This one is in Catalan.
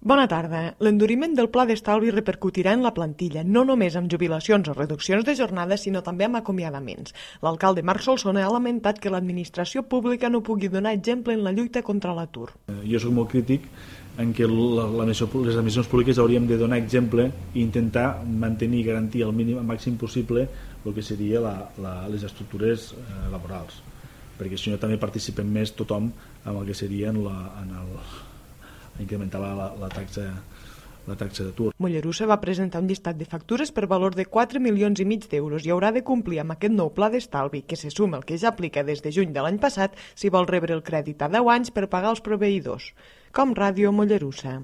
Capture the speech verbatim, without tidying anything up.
Bona tarda. L'enduriment del pla d'estalvi repercutirà en la plantilla, no només amb jubilacions o reduccions de jornada, sinó també amb acomiadaments. L'alcalde Marc Solsona ha lamentat que l'administració pública no pugui donar exemple en la lluita contra l'atur. Jo soc molt crític en què la, la, les administracions públiques hauríem de donar exemple i intentar mantenir i garantir al mínim, al màxim possible, el que seria la, la, les estructures eh, laborals, perquè si no també participem més tothom amb el que seria en, la, en el incrementar la, la, la taxa la taxa d'atur. Mollerussa va presentar un llistat de factures per valor de quatre milions i mig d'euros i haurà de complir amb aquest nou pla d'estalvi que se suma al que ja aplica des de juny de l'any passat si vol rebre el crèdit a deu anys per pagar els proveïdors. Com Ràdio Mollerussa.